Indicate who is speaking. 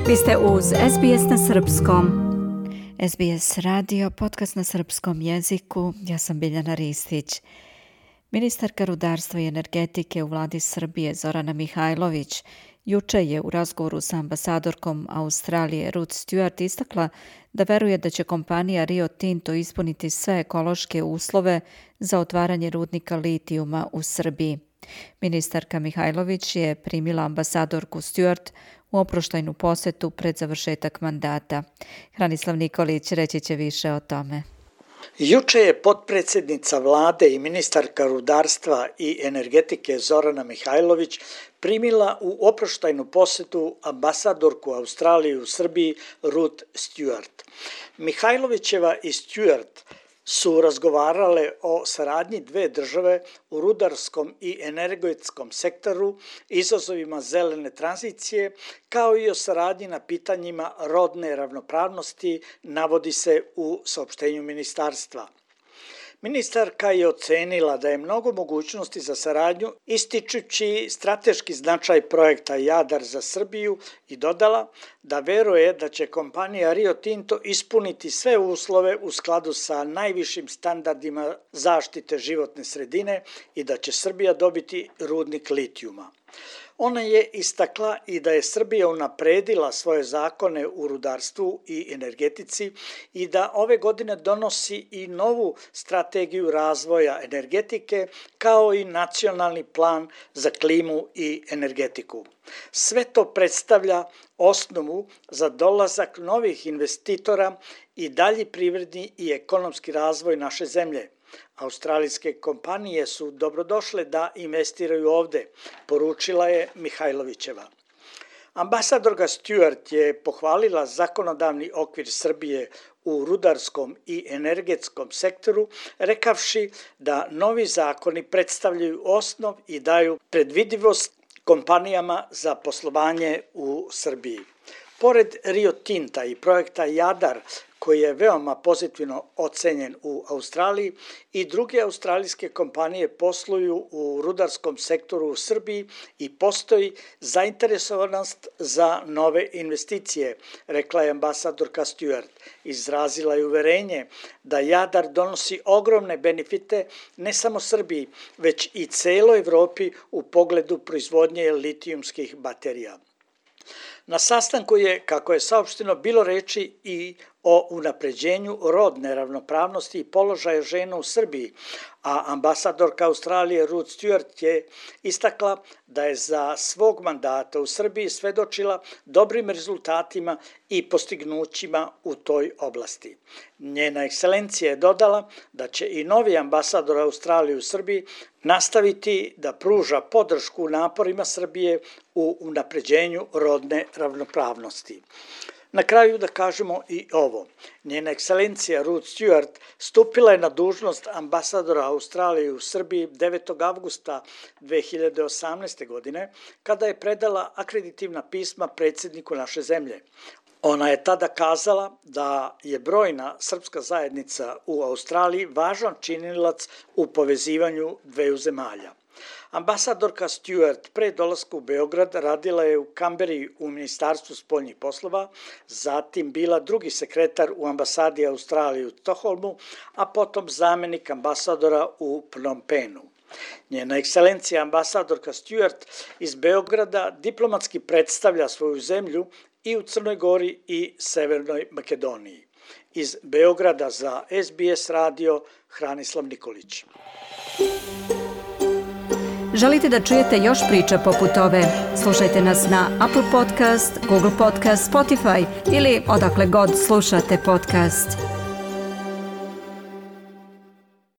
Speaker 1: Vi ste uz SBS na srpskom. SBS radio, podcast na srpskom jeziku. Ja sam Biljana Ristić. Ministarka rudarstva i energetike u vladi Srbije Zorana Mihajlović juče je u razgovoru sa ambasadorkom Australije Ruth Stewart istakla da veruje da će kompanija Rio Tinto ispuniti sve ekološke uslove za otvaranje rudnika litijuma u Srbiji. Ministarka Mihajlović je primila ambasadorku Stewart u oproštajnu posetu pred završetak mandata. Hranislav Nikolić reći će više o tome.
Speaker 2: Juče je potpredsjednica vlade i ministarka rudarstva i energetike Zorana Mihajlović primila u oproštajnu posetu ambasadorku Australije u Srbiji Ruth Stewart. Mihajlovićeva i Stewart su razgovarale o saradnji dve države u rudarskom i energetskom sektoru, izazovima zelene tranzicije, kao i o saradnji na pitanjima rodne ravnopravnosti, navodi se u saopštenju ministarstva. Ministarka je ocenila da je mnogo mogućnosti za saradnju, ističući strateški značaj projekta Jadar za Srbiju i dodala da veruje da će kompanija Rio Tinto ispuniti sve uslove u skladu sa najvišim standardima zaštite životne sredine i da će Srbija dobiti rudnik litijuma. Ona je istakla i da je Srbija unapredila svoje zakone u rudarstvu i energetici i da ove godine donosi i novu strategiju razvoja energetike kao i nacionalni plan za klimu i energetiku. Sve to predstavlja osnovu za dolazak novih investitora i dalji privredni i ekonomski razvoj naše zemlje. Australijske kompanije su dobrodošle da investiraju ovde, poručila je Mihajlovićeva. Ambasadorka Stewart je pohvalila zakonodavni okvir Srbije u rudarskom i energetskom sektoru, rekavši da novi zakoni predstavljaju osnov i daju predvidivost kompanijama za poslovanje u Srbiji. Pored Rio Tinta i projekta Jadar, koji je veoma pozitivno ocenjen u Australiji, i druge australijske kompanije posluju u rudarskom sektoru u Srbiji i postoji zainteresovanost za nove investicije, rekla je ambasadorka Stewart. Izrazila je uverenje da Jadar donosi ogromne benefite ne samo Srbiji, već i celoj Evropi u pogledu proizvodnje litijumskih baterija. Na sastanku je, kako je saopšteno, bilo reči i o unapređenju rodne ravnopravnosti i položaja žena u Srbiji, a ambasadorka Australije Ruth Stewart je istakla da je za svog mandata u Srbiji svedočila dobrim rezultatima i postignućima u toj oblasti. Njena ekscelencija je dodala da će i novi ambasador Australije u Srbiji nastaviti da pruža podršku naporima Srbije u unapređenju rodne ravnopravnosti. Na kraju da kažemo i ovo. Njena ekscelencija Ruth Stewart stupila je na dužnost ambasadora Australije u Srbiji 9. avgusta 2018. godine, kada je predala akreditivna pisma predsjedniku naše zemlje. Ona je tada kazala da je brojna srpska zajednica u Australiji važan činilac u povezivanju dveju zemalja. Ambasadorka Stewart pre dolaska u Beograd radila je u Kamberi u Ministarstvu spoljnih poslova, zatim bila drugi sekretar u ambasadi Australije u Stokholmu, a potom zamenik ambasadora u Phnom Penhu. Njena ekscelencija ambasadorka Stewart iz Beograda diplomatski predstavlja svoju zemlju i u Crnoj Gori i Severnoj Makedoniji. Iz Beograda za SBS radio Hranislav Nikolić.
Speaker 1: Želite da čujete još priča poput ove? Slušajte nas na Apple Podcast, Google Podcast, Spotify ili odakle god slušate podcast.